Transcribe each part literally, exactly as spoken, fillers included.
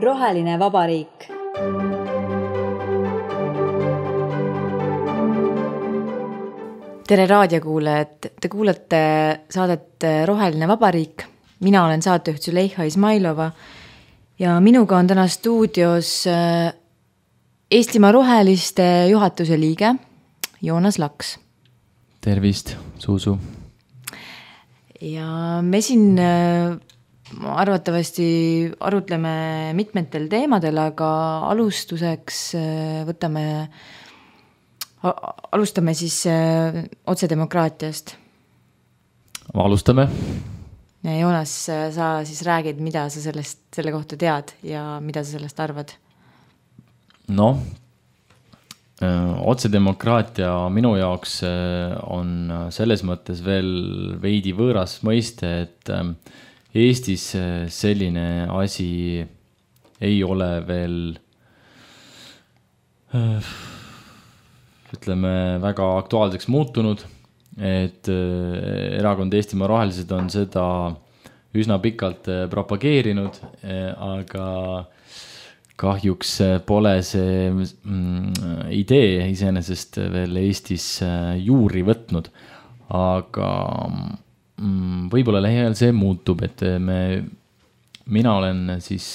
Roheline vabariik. Tere raadiokuulajad, te kuulate saadet Roheline vabariik. Mina olen saatejuht Züleyxa Izmailova ja minuga on täna stuudios Eestimaa Roheliste juhatuse liige Joonas Laks. Tervist, Suusu. Ja me siin arvatavasti arutleme mitmetel teemadel, aga alustuseks võtame, alustame siis otsedemokraatiast. Alustame. Ja Joonas, sa siis räägid, mida sa sellest, selle kohta tead ja mida sa sellest arvad? No, otsedemokraatia minu jaoks on selles mõttes veel veidi võõras mõiste, et Eestis selline asi ei ole veel, ütleme, väga aktuaalseks muutunud, et erakond Eestimaa Rohelised on seda üsna pikalt propageerinud, aga kahjuks pole see idee iseenesest veel Eestis juuri võtnud, aga võib-olla lähiajal see muutub, et me, mina olen siis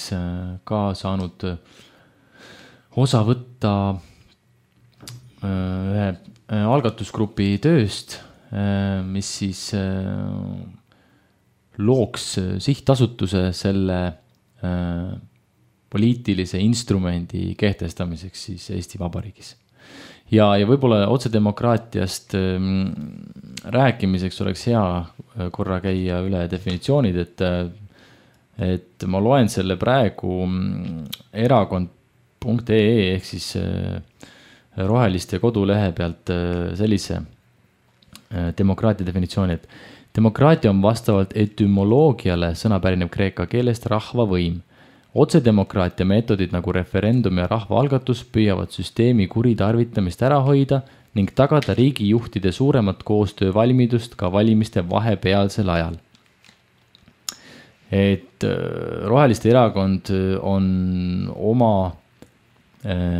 ka saanud osa võtta ühe algatusgrupi tööst, mis siis looks sihtasutuse selle poliitilise instrumendi kehtestamiseks siis Eesti Vabariigis. Ja, ja võib-olla otsedemokraatiast rääkimiseks oleks hea korra käia üle definitsioonid, et, et ma loen selle praegu erakond punkt ee ehk siis Roheliste kodulehe pealt sellise demokraatia definitsiooni, et demokraatia on vastavalt etümoloogiale sõna pärineb kreeka keelest rahvavõim. Otsedemokraatia meetodid nagu referendum ja rahvaalgatus püüavad süsteemi kuritarvitamist ära hoida ning tagada riigijuhtide suuremat koostöö valmidust ka valimiste vahepealsel ajal. Et Roheliste erakond on oma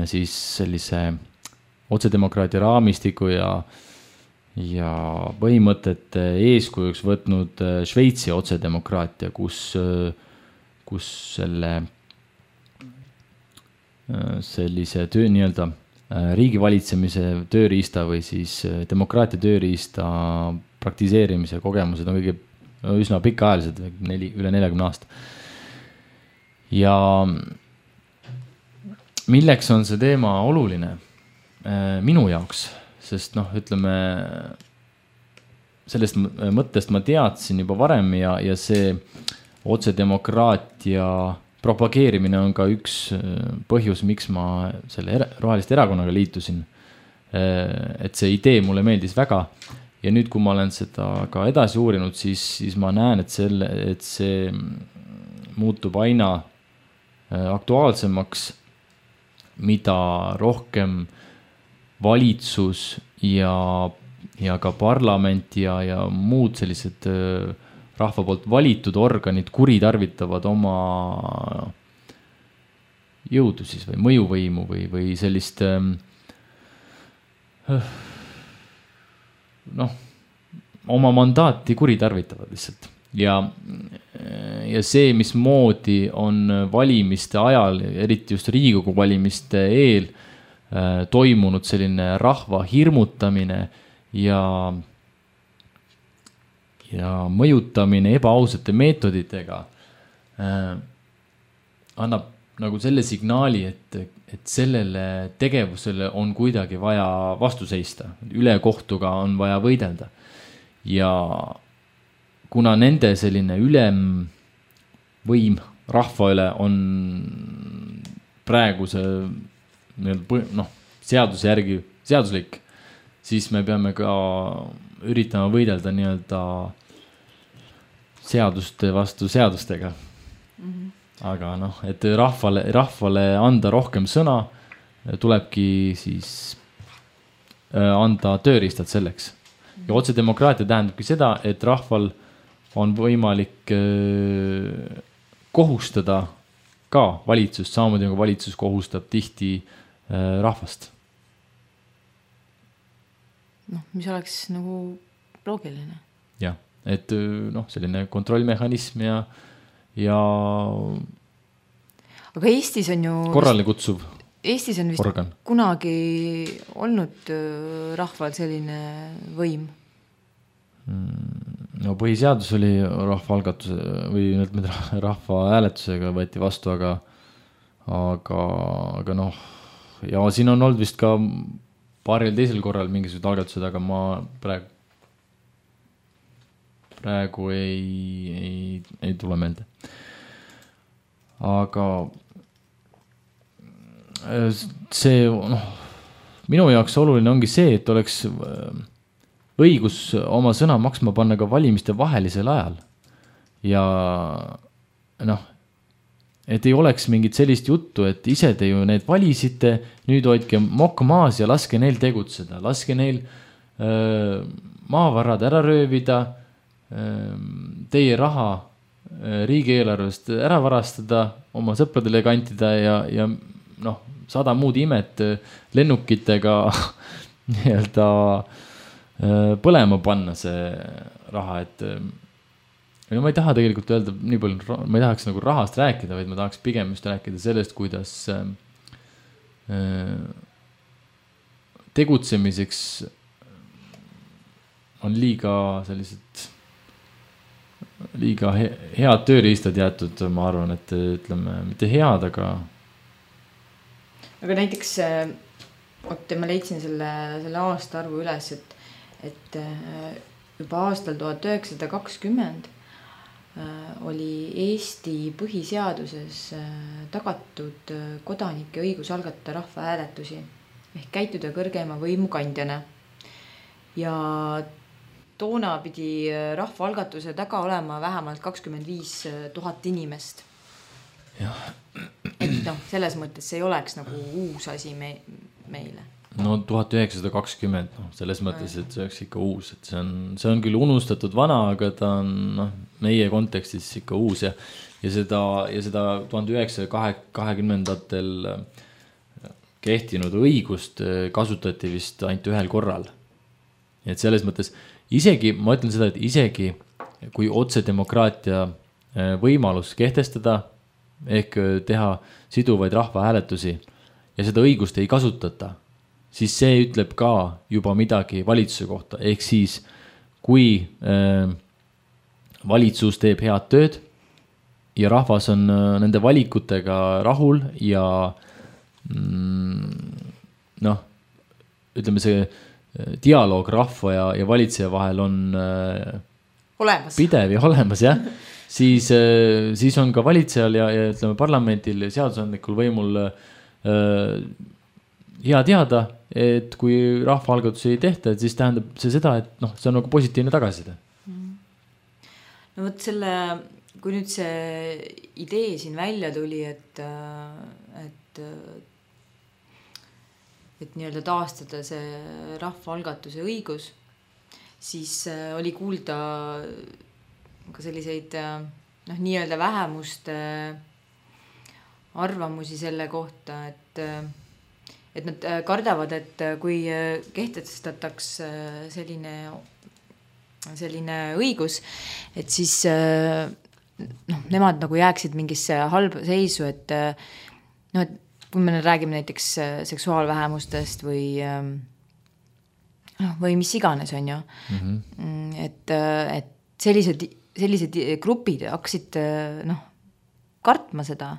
siis sellise otsedemokraatia raamistiku ja, ja põhimõtete eeskujuks võtnud Šveitsi otsedemokraatia, kus kus selle sellise töö nii-öelda riigivalitsemise tööriista või siis demokraatia tööriista praktiseerimise kogemused on kõige üsna pikaajalised, neli, üle neljakümne aasta. Ja milleks on see teema oluline minu jaoks, sest noh, ütleme, sellest mõttest ma teadsin juba varem ja, ja see otsedemokraatia propageerimine on ka üks põhjus, miks ma selle Roheliste erakonnaga liitusin. Et see idee mulle meeldis väga ja nüüd, kui ma olen seda ka edasi uurinud, siis, siis ma näen, et, selle, et see muutub aina aktuaalsemaks, mida rohkem valitsus ja, ja ka parlament ja, ja muud sellised rahva poolt valitud organid kuritarvitavad oma jõudu siis või mõjuvõimu või, või sellist noh, oma mandaati kuritarvitavad lihtsalt. Ja, ja see, mismoodi on valimiste ajal, eriti just Riigikogu valimiste eel, toimunud selline rahva hirmutamine ja ja mõjutamine ebaausate meetoditega äh, annab nagu selle signaali, et, et sellele tegevusele on kuidagi vaja vastu seista. Üle kohtuga on vaja võidelda. Ja kuna nende selline ülem võim rahva üle on praeguse noh, seaduse järgi seaduslik, siis me peame ka üritama võidelda nii-öelda seaduste vastu seadustega. Mm-hmm. Aga noh, et rahvale, rahvale anda rohkem sõna, tulebki siis anda tööriistad selleks. ja otsedemokraatia tähendabki seda, et rahval on võimalik äh, kohustada ka valitsust, samamoodi nagu valitsus kohustab tihti äh, rahvast. noh, mis oleks nagu loogiline. jah, et noh, selline kontrollmehhanism ja, ja aga Eestis on ju korrale kutsuv Eestis on vist organ. Kunagi olnud rahval selline võim? No põhiseadus oli rahvaalgatuse või rahva hääletusega võeti vastu, aga, aga, aga noh, ja siin on olnud vist ka paaril teisel korral mingisugused algatused, aga ma praegu, praegu ei, ei, ei tule meelde. Aga see, noh, minu jaoks oluline ongi see, et oleks õigus oma sõna maksma panna ka valimiste vahelisel ajal. Ja noh, et ei oleks mingit sellist juttu, et ise te ju need valisite, nüüd hoidke mokk maas ja laske neil tegutseda, laske neil öö, maavarad ära röövida, öö, teie raha öö, riigieelarvest ära varastada, oma sõpradele kantida ja, ja noh, sada muud imet lennukitega nii-öelda põlema panna see raha, et no ma ei taha tegelikult öelda nii palju, ma ei tahaks nagu rahast rääkida, vaid ma tahaks pigem just rääkida sellest, kuidas tegutsemiseks on liiga sellised liiga head tööriistad jäetud, ma arvan, et ütleme, mitte head, aga aga näiteks, oot, ma leidsin selle, selle aasta arvu üles, et, et juba aastal tuhat üheksasada kakskümmend oli Eesti põhiseaduses tagatud kodanike õigus algatada rahvahääletusi ehk käituda kõrgema võimu kandjana. Ja toona pidi rahvaalgatuse taga olema vähemalt kakskümmend viis tuhat inimest. Jah. Et noh, selles mõttes see ei oleks nagu uus asi me, meile. No tuhat üheksasada kakskümmend, noh, selles mõttes, et see oleks ikka uus, et see on, see on küll unustatud vana, aga ta on noh, meie kontekstis ikka uus ja, ja seda, ja seda tuhat üheksasaja kahekümnendatel kehtinud õigust kasutati vist ainult ühel korral. Et selles mõttes isegi, ma ütlen seda, et isegi kui otsedemokraatia võimalus kehtestada ehk teha siduvaid rahvahääletusi ja seda õigust ei kasutata, siis see ütleb ka juba midagi valitsuse kohta. Ehk siis, kui äh, valitsus teeb head tööd ja rahvas on äh, nende valikutega rahul ja mm, noh, ütleme see äh, dialoog rahva ja, ja valitseja vahel on äh, olemas. Pidev ja olemas, jah. Siis, siis on ka valitsejal ja, ja ütleme parlamendil ja seadusandlikul võimul äh, hea teada, et kui rahvaalgatusi ei tehta, et siis tähendab see seda, et noh, see on nagu positiivne tagasiside. No võt selle, kui nüüd see idee siin välja tuli, et, et, et nii-öelda taastada see rahvaalgatuse õigus, siis oli kuulda ka selliseid noh, nii-öelda vähemuste arvamusi selle kohta, et, et nad kardavad, et kui kehtestataks selline, selline õigus, et siis noh, nemad nagu jääksid mingisse halba seisu, et noh, et kui me räägime näiteks seksuaalvähemustest või noh, või mis iganes on ju, mm-hmm. et, et sellised sellised grupid hakkasid noh, kartma seda.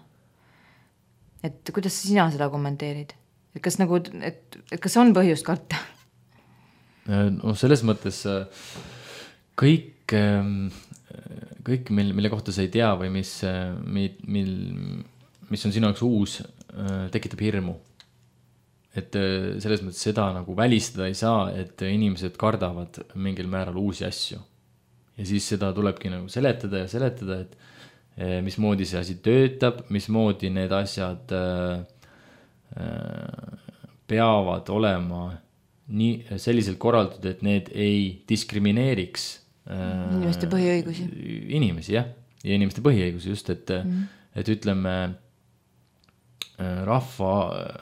Et kuidas sina seda kommenteerid? Et kas, nagu, et, et kas on põhjust karta? No selles mõttes kõik, kõik mille, mille kohta sa ei tea või mis, mil, mis on sinu jaoks uus, tekitab hirmu. Et selles mõttes seda nagu välistada ei saa, et inimesed kardavad mingil määral uusi asju. Ja siis seda tulebki nagu seletada ja seletada, et mismoodi see asi töötab, mismoodi need asjad peavad olema nii selliselt korraldatud, et need ei diskrimineeriks inimeste põhiõigusi. Inimesi, jah. Ja inimeste põhiõigusi just, et, mm. et ütleme, rahva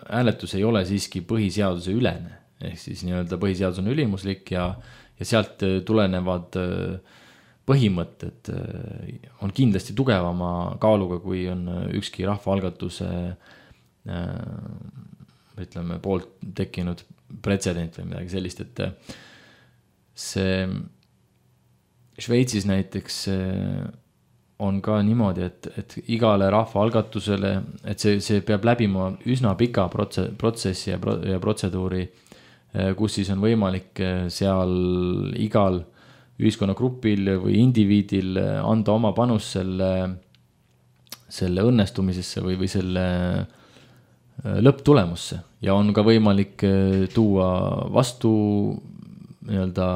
hääletus ei ole siiski põhiseaduse ülene. Ehk siis nii-öelda põhiseadus on ülimuslik ja, ja sealt tulenevad põhimõtted on kindlasti tugevama kaaluga, kui on ükski rahvaalgatuse ütleme, poolt tekkinud pretsedent või midagi sellist, et see Šveitsis näiteks on ka niimoodi, et, et igale rahvaalgatusele, et see, see peab läbima üsna pika protsessi ja, pro, ja protseduuri, kus siis on võimalik seal igal ühiskonnagrupil või indiviidil anda oma panus selle, selle õnnestumisesse või, või selle lõpptulemusse ja on ka võimalik tuua vastu nii-öelda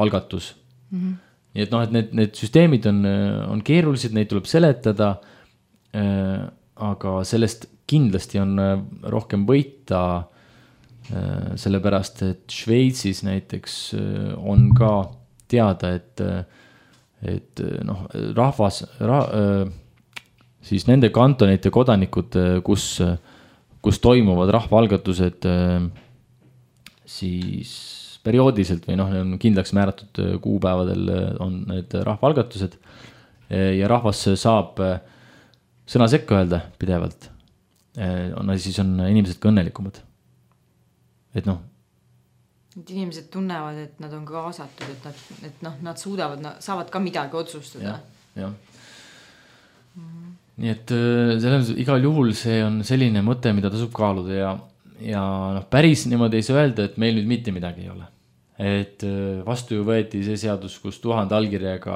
algatus. Mm-hmm. Nii et noh, et need, need süsteemid on, on keerulised, neid tuleb seletada, aga sellest kindlasti on rohkem võita, sellepärast, et Šveitsis näiteks on ka teada, et, et noh, rahvas, ra, siis nende kantonite kodanikud, kus, kus toimuvad rahvaalgatused siis perioodiliselt või noh, on kindlaks määratud kuupäevadel on need rahvaalgatused ja rahvas saab sõna sekka öelda pidevalt. On, siis on inimesed ka õnnelikumad. Et noh. Et inimesed tunnevad, et nad on kaasatud, et nad, et noh, nad suudavad, nad saavad ka midagi otsustada. Ja, ja. Mm-hmm. Nii et selles, igal juhul see on selline mõte, mida tasub kaaluda ja, ja noh, päris niimoodi ei saa öelda, et meil nüüd mitte midagi ei ole. Et vastu ju võeti see seadus, kus tuhande allkirjaga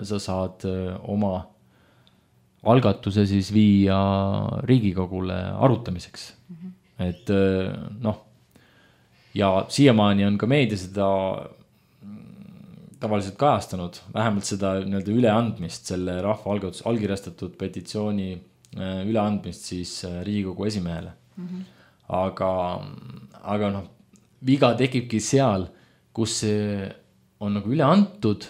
sa saad oma algatuse siis viia Riigikogule arutamiseks. Mm-hmm. Et noh, ja siiamaani on ka meedia seda tavaliselt kajastanud, vähemalt seda nii-öelda üleandmist, selle rahvaalgatus allkirjastatud petitsiooni üleandmist siis Riigikogu esimehele. Mm-hmm. Aga, aga noh, viga tekibki seal, kus see on nagu üle antud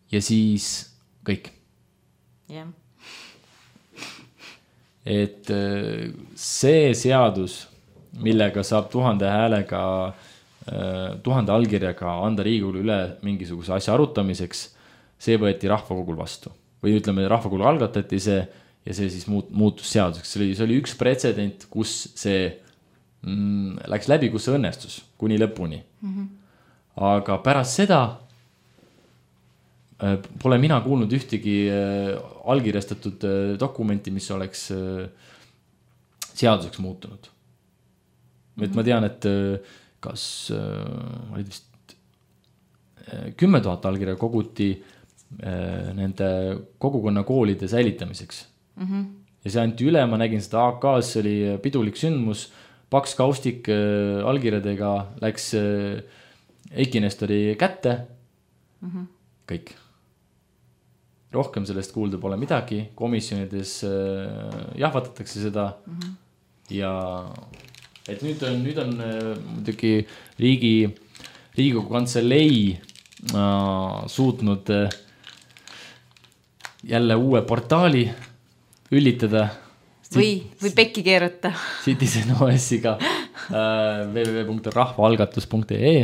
ja siis kõik. Yeah. Et see seadus, millega saab tuhande häälega, tuhande allkirjaga anda Riigikogule üle mingisuguse asja arutamiseks, see võeti rahvakogul vastu. Või ütleme, rahvakogul algatati see ja see siis muut, muutus seaduseks. See oli, see oli üks pretsedent, kus see mm, läks läbi, kus see õnnestus kuni lõpuni. Mm-hmm. Aga pärast seda äh, pole mina kuulnud ühtegi äh, allkirjastatud äh, dokumenti, mis oleks äh, seaduseks muutunud. Mm-hmm. Et ma tean, et äh, kas äh, oli vist äh, kümme tuhat allkirja koguti äh, nende kogukonna koolide säilitamiseks. Mm-hmm. Ja see anti üle, ma nägin seda A K-s, oli pidulik sündmus, paks kaustik äh, allkirjadega läks äh, Eiki Nestori kätte. Mm-hmm. Kõik. Rohkem sellest kuulda pole midagi. Komisjonides äh, jahvatatakse seda. Mm-hmm. Ja et nüüd on, nüüd on äh, muidugi riigi, Riigikogu kantselei äh, suutnud äh, jälle uue portaali üllitada. Või, või pekki keerata. Citizen O S-iga äh, w w w punkt rahvaalgatus punkt e e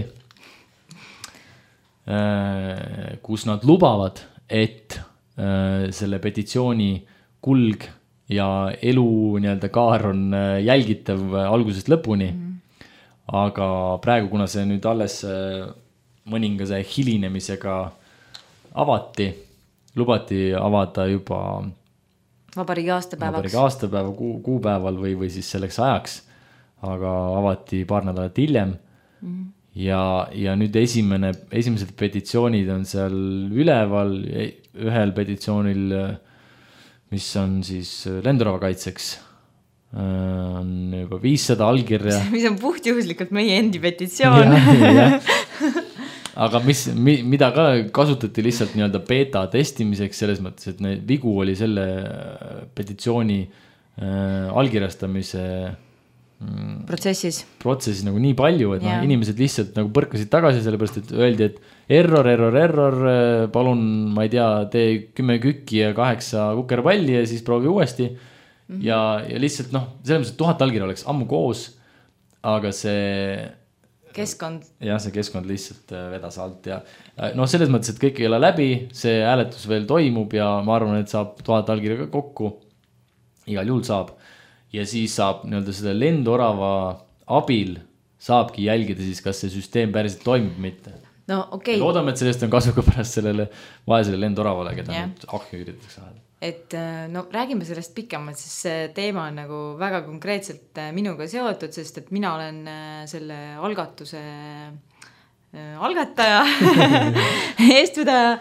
äh, kus nad lubavad, et äh, selle petitsiooni kulg ja elu nii-öelda kaar on äh, jälgitav algusest lõpuni. Mm. Aga praegu, kuna see nüüd alles äh, mõningase hilinemisega avati, lubati avada juba Vabariigi aastapäevaks. Vabariigi aastapäeva kuu, kuupäeval või, või siis selleks ajaks, aga avati paar nädalat hiljem. Mm. Ja, ja nüüd esimene, esimesed petitsioonid on seal üleval, ühel petitsioonil, mis on siis lendurava kaitseks, on juba viissada allkirja. Mis on puhtjuhuslikult meie endi petitsioon. Ja, ja. Aga mis, mida ka kasutati lihtsalt nii-öelda beta testimiseks selles mõttes, et need vigu oli selle petitsiooni äh, allkirjastamise protsessis, protsessis nagu nii palju, et yeah. no, inimesed lihtsalt nagu põrkasid tagasi, sellepärast et öeldi, et error, error, error, palun, ma ei tea, tee kümme kükki ja kaheksa kukerpalli ja siis proovi uuesti. Mm-hmm. Ja, ja lihtsalt noh, selles mõttes, et tuhat allkirja oleks ammu koos, aga see keskkond. jah, see keskkond lihtsalt vedas alt ja noh, selles mõttes, et kõik ei ole läbi, see hääletus veel toimub ja ma arvan, et saab tuhat allkirja ka kokku. Igal juhul saab. Ja siis saab nii-öelda selle lendorava abil saabki jälgida siis, kas see süsteem päriselt toimib mitte. No okei. Okay. Loodame, et sellest on kasu ka pärast sellele vaesele lendoravale, keda yeah. nüüd ahju üritatakse saada. Et no räägime sellest pikemalt, sest see teema on nagu väga konkreetselt minuga seotud, sest et mina olen selle algatuse algataja, eestvedaja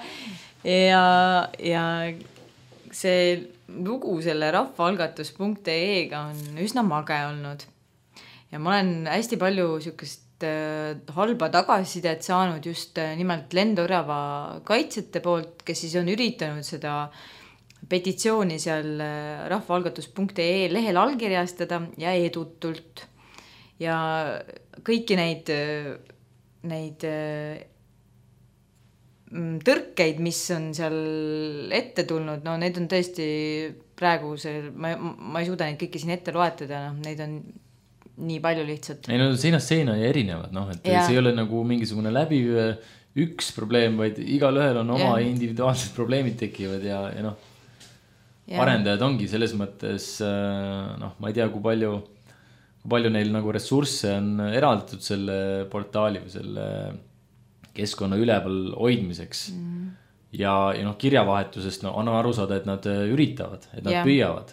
ja, ja see lugu selle rahvaalgatus punkt ee-ga on üsna mage olnud. Ja ma olen hästi palju sükest äh, halba tagasisidet saanud just äh, nimelt lendorava kaitsjate poolt, kes siis on üritanud seda petitsiooni seal äh, rahvaalgatus punkt ee lehel allkirjastada ja edutult. Ja kõiki neid, äh, neid äh, tõrkeid, mis on seal ette tulnud, no need on tõesti praegu see, ma, ma ei suuda neid kõiki siin ette loetada, no neid on nii palju lihtsalt. Ei no seinast seina ja erinevad, noh, et ja. See ei ole nagu mingisugune läbi üks probleem, vaid igal ühel on oma ja. Individuaalsed probleemid tekivad ja, ja noh, ja. Arendajad ongi selles mõttes, noh, ma ei tea, kui palju, kui palju neil nagu ressursse on eraldatud selle portaali või selle keskkonna üleval hoidmiseks mm. ja, ja noh, kirjavahetusest no, on aru saada, et nad üritavad, et nad yeah. püüavad.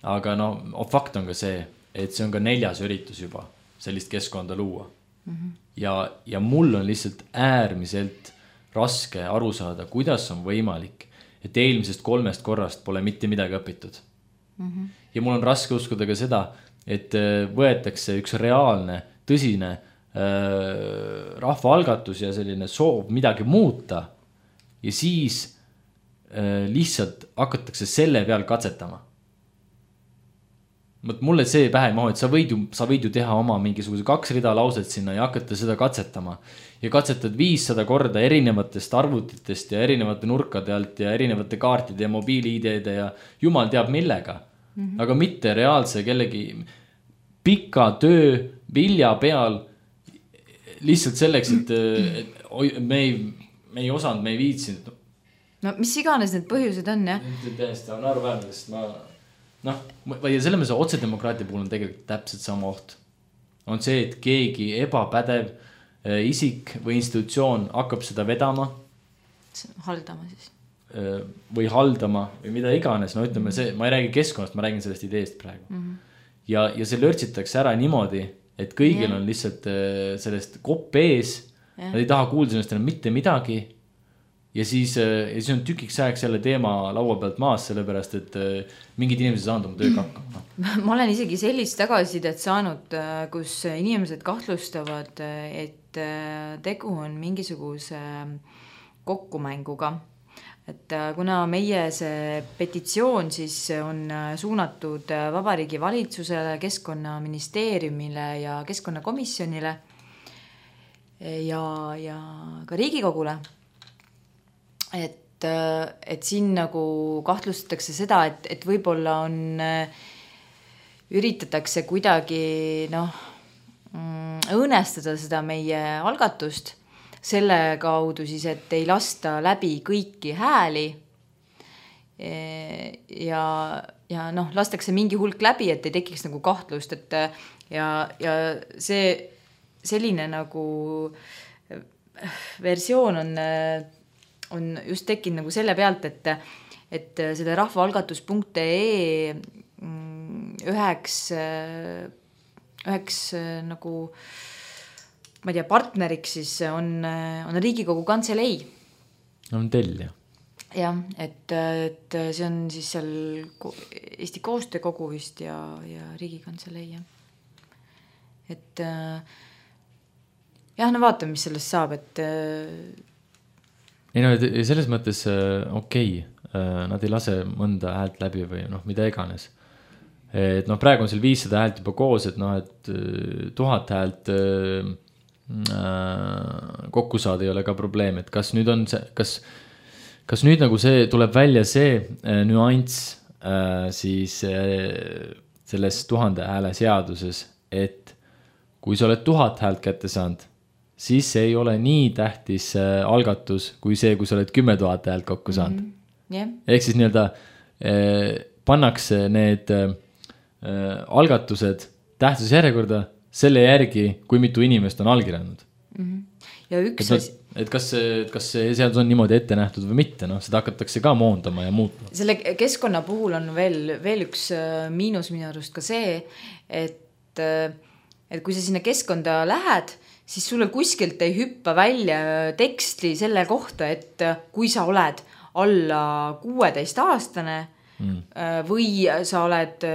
Aga no, fakt on ka see, et see on ka neljas üritus juba sellist keskkonda luua. Mm-hmm. Ja, ja mul on lihtsalt äärmiselt raske aru saada, kuidas on võimalik, et eelmisest kolmest korrast pole mitte midagi õpitud. Mm-hmm. Ja mul on raske uskuda ka seda, et võetakse üks reaalne, tõsine rahvaalgatus ja selline soov midagi muuta ja siis äh, lihtsalt hakatakse selle peal katsetama. Mulle see pähe ei mahu, et sa võid, ju, sa võid ju teha oma mingisuguse kaks rida lauset sinna ja hakata seda katsetama ja katsetad viissada korda erinevatest arvutitest ja erinevate nurkade alt ja erinevate kaartide ja mobiili-ideede ja jumal teab millega, mm-hmm. aga mitte reaalse kellegi pika töö vilja peal lihtsalt selleks, et, et me ei, me ei osanud, me ei viitsinud. No mis iganes need põhjused on, jah? Tõesti, on arvaärne, sest ma, noh, ja selle mõttes otsedemokraatia puhul on tegelikult täpselt sama oht. On see, et keegi ebapädev isik või institutsioon hakkab seda vedama. Haldama siis. Või haldama või mida iganes, no ütleme see, ma ei räägi keskkonnast, ma räägin sellest ideest praegu. Mm-hmm. Ja, ja see lörtsitakse ära niimoodi, et kõigil yeah. on lihtsalt sellest kopp ees, yeah. nad ei taha kuulda sellest enam mitte midagi ja siis, ja siis on tükiks ajaks selle teema laua pealt maas, sellepärast, et mingid inimesed saanud oma tööga hakkama. Ma olen isegi sellist tagasisidet saanud, kus inimesed kahtlustavad, et tegu on mingisuguse kokkumänguga. Et kuna meie see petitsioon siis on suunatud Vabariigi Valitsusele, Keskkonnaministeeriumile ja Keskkonnakomisjonile ja, ja ka Riigikogule, et, et siin nagu kahtlustatakse seda, et, et võib-olla on, üritatakse kuidagi noh, õõnestada seda meie algatust, selle kaudu siis, et ei lasta läbi kõiki hääli ja, ja noh, lastakse mingi hulk läbi, et ei tekiks nagu kahtlust, et ja, ja see selline nagu versioon on, on just tekkinud nagu selle pealt, et, et selle rahvaalgatus punkt ee üheks, üheks nagu ma ei tea, partneriks siis on, on Riigikogu Kantselei. On tellija. Jah, et, et see on siis seal Eesti Koostöökogu vist ja, ja Riigikantselei. Ja. Et jah, no vaatame, mis sellest saab, et ei no, selles mõttes okei, okay. Nad ei lase mõnda häält läbi või noh, mida iganes. et noh, praegu on seal viissada häält juba koos, et noh, et tuhat häält äh, kokku saada ei ole ka probleem, et kas nüüd on see, kas, kas nüüd nagu see tuleb välja see äh, nüanss äh, siis äh, selles tuhande hääle seaduses, et kui sa oled tuhat häält kätte saanud, siis see ei ole nii tähtis äh, algatus kui see, kui sa oled kümme tuhat häält kokku saanud. Mm -hmm. yeah. Ehk siis nii-öelda äh, pannakse need äh, algatused tähtsusjärjekorda selle järgi, kui mitu inimest on allkirjanud. Mm -hmm. Ja üks et, et kas, kas see seadus on niimoodi ette nähtud või mitte, noh, seda hakatakse ka moondama ja muutma. Selle keskkonna puhul on veel, veel üks miinus minu arust ka see, et, et kui sa sinna keskkonda lähed, siis sulle kuskilt ei hüppa välja teksti selle kohta, et kui sa oled alla kuueteist aastane mm. või sa oled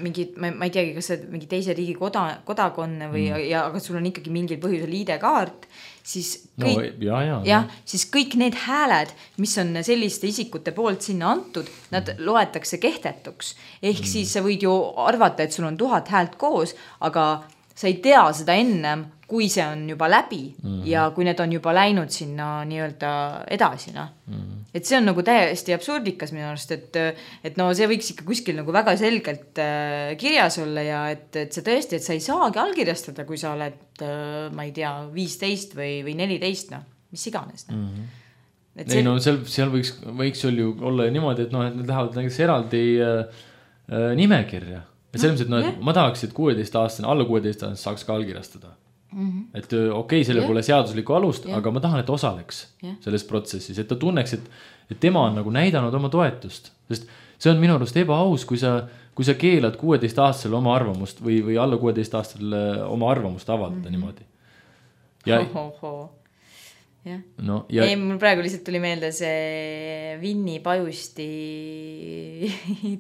mingi, ma, ma ei teagi, kas sa mingi teise riigi koda, kodakonne või mm. ja, aga sul on ikkagi mingil põhjusel I D-kaart, siis kõik, no, ja, ja, ja, siis kõik need hääled, mis on selliste isikute poolt sinna antud, nad mm. loetakse kehtetuks. Ehk mm. siis sa võid ju arvata, et sul on tuhat häält koos, aga sa ei tea seda ennem, kui see on juba läbi mm. ja kui need on juba läinud sinna nii-öelda edasi. No. Mm. Et see on nagu täiesti absurdikas minu arust, et, et no see võiks ikka kuskil nagu väga selgelt äh, kirjas olla ja et, et see tõesti, et sa ei saagi allkirjastada, kui sa oled, äh, ma ei tea, viisteist või, või neliteist, no, mis iganes. No. Mm. Et see... Ei no seal, seal võiks, võiks ju olla niimoodi, et noh, et need lähevad näiteks eraldi äh, äh, nimekirja. Ja selles mõttes, et no, et ma tahaks, et kuueteist aastane, alla kuueteist aastane saaks ka allkirjastada. Mm -hmm. Et okei, okay, selle yeah. pole seaduslikku alust, yeah. aga ma tahan, et osaleks yeah. selles protsessis, et ta tunneks, et, et tema on nagu näidanud oma toetust, sest see on minu arust ebaaus, kui sa, kui sa keelad kuueteist aastasele oma arvamust või, või alla kuueteist aastasele oma arvamust avaldada mm -hmm. niimoodi. Ja, ho, ho, ho. Yeah. No, ja... Ei, mul praegu lihtsalt tuli meelde see Vinni Pajusti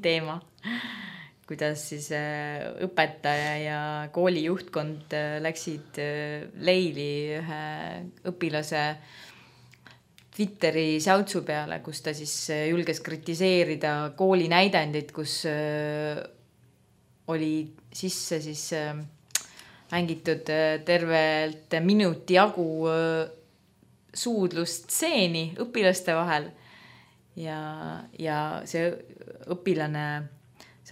teema. Kuidas siis õpetaja ja kooli juhtkond läksid leili ühe õpilase Twitteri säutsu peale, kus ta siis julges kritiseerida kooli näidendit, kus oli sisse siis mängitud tervelt minuti jagu suudlustseeni õpilaste vahel ja, ja see õpilane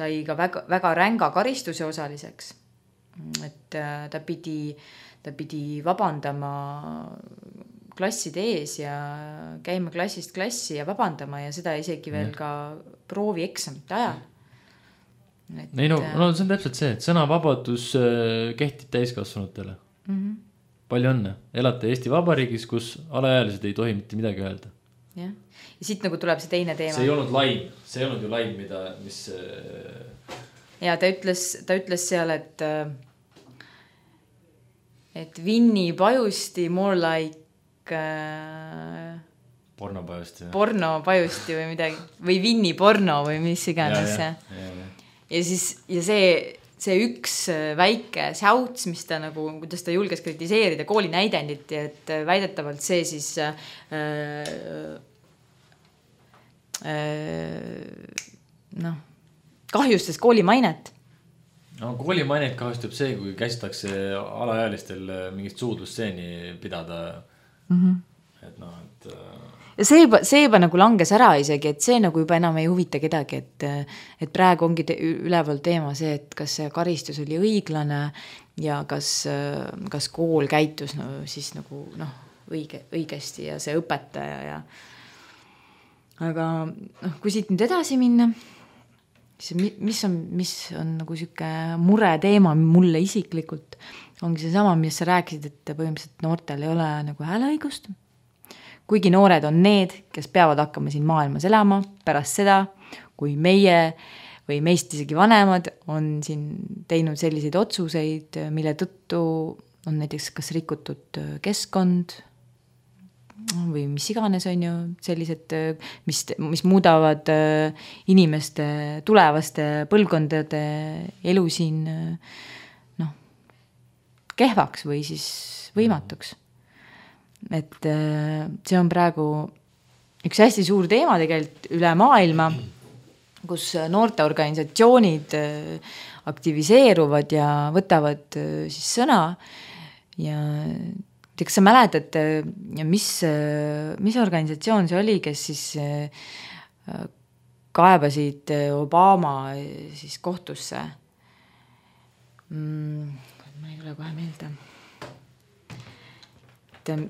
sai ka väga, väga ränga karistuse osaliseks. Et ta pidi, ta pidi vabandama klasside ees ja käima klassist klassi ja vabandama ja seda isegi veel ka proovieksamite ajal. Et, ei no, no see on täpselt see, et sõnavabadus kehtib täiskasvanutele. Mm-hmm. Palju õnne. Elate Eesti Vabariigis, kus alaealised ei tohi mitte midagi öelda. Jah. Ja siit nagu tuleb see teine teema. See ei olnud laim, see ei olnud ju laim, mida, mis... Ja ta ütles, ta ütles seal, et et Vinni Pajusti more like porno Pajusti. Porno Pajusti või midagi. Või Vinni porno või mis iganes. Ja, ja, ja, ja. ja siis, ja see, see üks väike säuts, mis ta nagu, kuidas ta julges kritiseerida kooli näidendit, et väidetavalt see siis... Äh, noh, kahjustas kooli mainet. No kooli mainet kahjustab see, kui käsitakse alaealistel mingit suudlustseeni pidada. Mm-hmm. Et noh, et... Ja see juba, see juba nagu langes ära isegi, et see nagu juba enam ei huvita kedagi, et, et praegu ongi te, üleval teema see, et kas see karistus oli õiglane ja kas, kas kool käitus no, siis nagu noh, õige, õigesti ja see õpetaja ja aga noh, kui siit nüüd edasi minna, siis mis on, mis on nagu siuke mure teema mulle isiklikult, ongi see sama, mis sa rääkisid, et põhimõtteliselt noortel ei ole nagu hääleõigust. Kuigi noored on need, kes peavad hakkama siin maailmas elama pärast seda, kui meie või meist isegi vanemad on siin teinud selliseid otsuseid, mille tõttu on näiteks kas rikutud keskkond, või mis iganes on ju sellised, mis, mis muudavad inimeste tulevaste põlvkondade elu siin noh, kehvaks või siis võimatuks. Et see on praegu üks hästi suur teema tegelikult üle maailma, kus noorteorganisatsioonid aktiviseeruvad ja võtavad siis sõna ja kas sa mäletad, mis, mis organisatsioon see oli, kes siis kaebasid Obama siis kohtusse? Ma ei tule kohe meelde.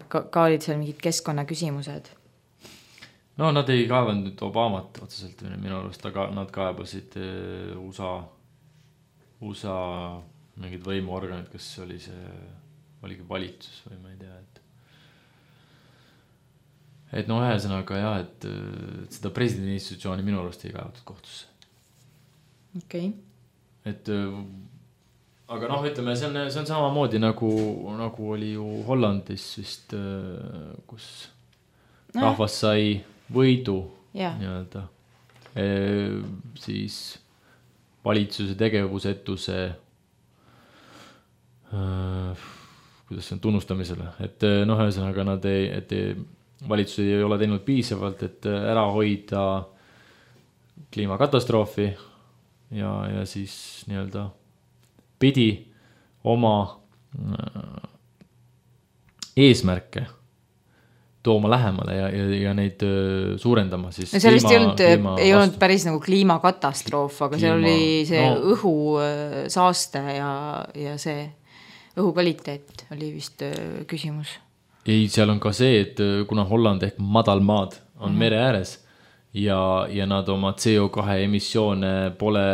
Ka, ka olid seal mingid keskkonnaküsimused. No nad ei kaevanud Obamat otseselt minu arust, aga nad kaebasid U S A, U S A mingid võimuorganid, kas oli see, oligi valitsus või ma ei tea, et et no ühesõnaga jah, et, et seda presidendi institutsiooni minu arust ei kaevatud kohtusse. Okei. Okay. Et aga noh, ütleme, see on, see on samamoodi nagu, nagu oli ju Hollandis vist, kus no. rahvas sai võidu ja. nii-öelda e, siis valitsuse tegevusetuse äh, kuidas see on tunnustamisele, et noh, ühesõnaga nad ei, et ei, valitsus ei ole teinud piisavalt, et ära hoida kliimakatastroofi ja, ja siis nii-öelda pidi oma äh, eesmärke tooma lähemale ja, ja, ja neid suurendama siis no sellest kliima, ei, olnud, kliima ei olnud päris nagu kliimakatastroof, aga kliima, seal oli see no, õhu saaste ja, ja see õhu kvaliteet oli vist küsimus. Ei, seal on ka see, et kuna Holland ehk madalmaad on mm-hmm. mere ääres ja, ja nad oma C O kahe emissioone pole,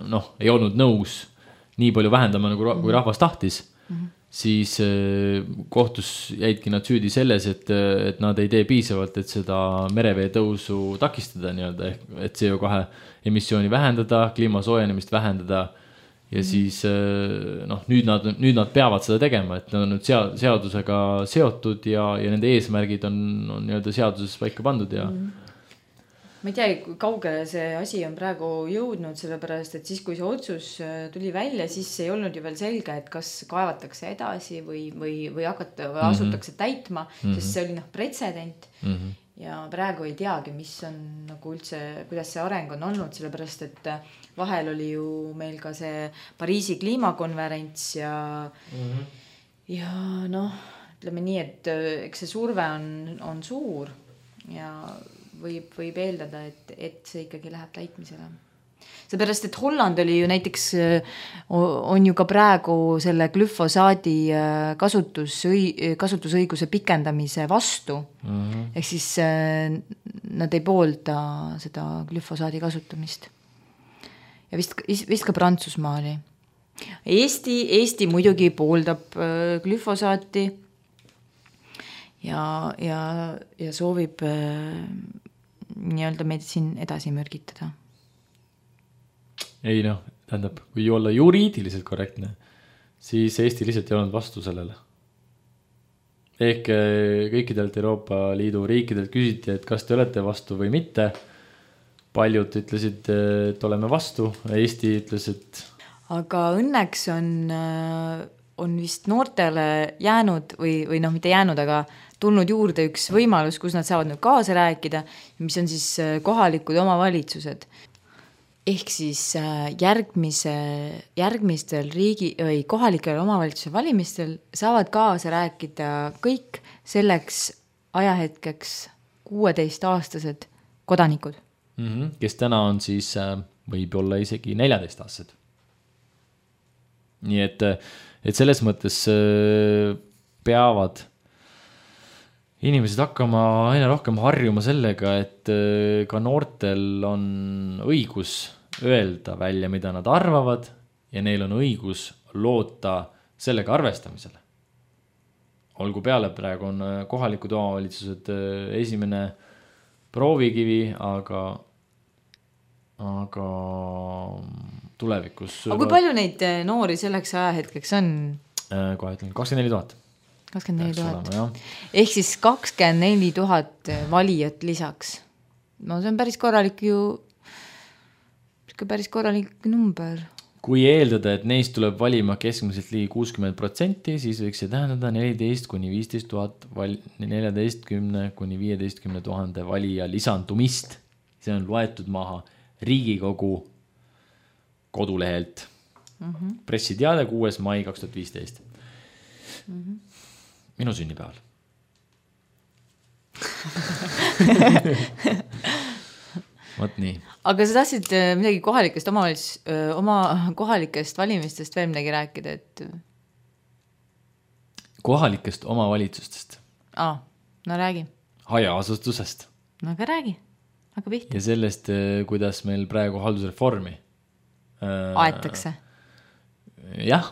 noh, ei olnud nõus nii palju vähendama, nagu mm-hmm. kui rahvas tahtis, mm-hmm. siis kohtus jäidki nad süüdi selles, et, et nad ei tee piisavalt, et seda merevee tõusu takistada nii-öelda, et C O kahe emissiooni vähendada, kliima soojenemist vähendada ja mm-hmm. siis noh, nüüd nad, nüüd nad peavad seda tegema, et nad on nüüd seadusega seotud ja, ja nende eesmärgid on, on nii-öelda seaduses paika pandud ja mm-hmm. ma ei tea, kui kaugele see asi on praegu jõudnud, sellepärast, et siis, kui see otsus tuli välja, siis ei olnud ju veel selge, et kas kaevatakse edasi või, või, või hakata, või asutakse mm-hmm. täitma, mm-hmm. sest see oli noh, pretsedent mm-hmm. ja praegu ei teagi, mis on nagu üldse, kuidas see areng on olnud, sellepärast, et vahel oli ju meil ka see Pariisi kliimakonverents ja mm-hmm. ja noh, ütleme nii, et eks see surve on, on suur ja võib, võib eeldada, et, et see ikkagi läheb täitmisele. Seepärast, et Holland oli ju näiteks, on ju ka praegu selle glüfosaadi kasutus, kasutusõiguse pikendamise vastu. Mm-hmm. Ehk siis nad ei poolda seda glüfosaadi kasutamist. Ja vist, vist ka Prantsusmaa oli. Eesti, Eesti muidugi pooldab glüfosaati ja, ja, ja soovib nii-öelda meid siin edasi mürgitada. Ei noh, tähendab, kui olla juriidiliselt korrektne, siis Eesti lihtsalt ei olnud vastu sellele. Ehk kõikidelt Euroopa Liidu riikidelt küsiti, et kas te olete vastu või mitte. Paljud ütlesid, et oleme vastu. Eesti ütles, et... Aga õnneks on, on vist noortele jäänud või, või noh, mitte jäänud, aga tulnud juurde üks võimalus, kus nad saavad nüüd kaasa rääkida, mis on siis kohalikud omavalitsused. Ehk siis järgmise, järgmistel riigi või kohalikel omavalitsuse valimistel saavad kaasa rääkida kõik selleks ajahetkeks kuueteistaastased kodanikud. Mm-hmm. Kes täna on siis, võib olla isegi neljateistaastased. Nii et, et selles mõttes peavad inimesed hakkama aina rohkem harjuma sellega, et ka noortel on õigus öelda välja, mida nad arvavad ja neil on õigus loota sellega arvestamisele. Olgu peale, praegu on kohalikud omavalitsused esimene proovikivi, aga, aga tulevikus... Aga kui palju neid noori selleks ajahetkeks on? Kohe ütlen, kakskümmend neli tuhat. kakskümmend neli tuhat. Ehk siis kakskümmend neli tuhat valijat lisaks. No see on päris korralik ju, päris korralik number. Kui eeldada, et neist tuleb valima keskmiselt ligi kuuskümmend protsenti, siis võiks see tähendada neliteist kuni viisteist tuhat, neljateist kuni viieteist tuhande valija lisandumist. See on loetud maha Riigikogu kodulehelt. Mm-hmm. Pressiteade kuues mai kaks tuhat viisteist. Mm-hmm. Minu sünnipäeval. Võt nii. Aga sa tahtsid midagi kohalikest omavalitsus, oma kohalikest valimistest veel midagi rääkida, et... Kohalikest omavalitsustest? Aa, no räägi. Hajaasustusest. No aga räägi, aga pihta. Ja sellest, kuidas meil praegu haldusreformi aetakse. Jah.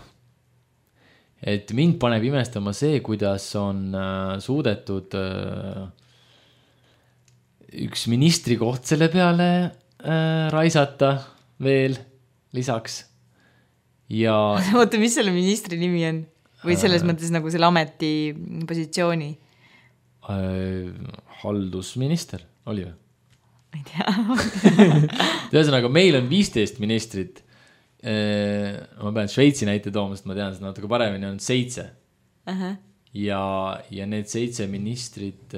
Et mind paneb imestama see, kuidas on suudetud üks ministri koht selle peale raisata veel lisaks. Ja... Oota, mis selle ministri nimi on? Või selles mõttes nagu selle ameti positsiooni? Haldusminister oli või? Ma ei tea. Ühesõnaga, meil on viisteist ministrit. Ma pean Šveitsi näite tooma, sest ma tean seda natuke paremini, on seitse. Uh-huh. Ja, ja need seitse ministrit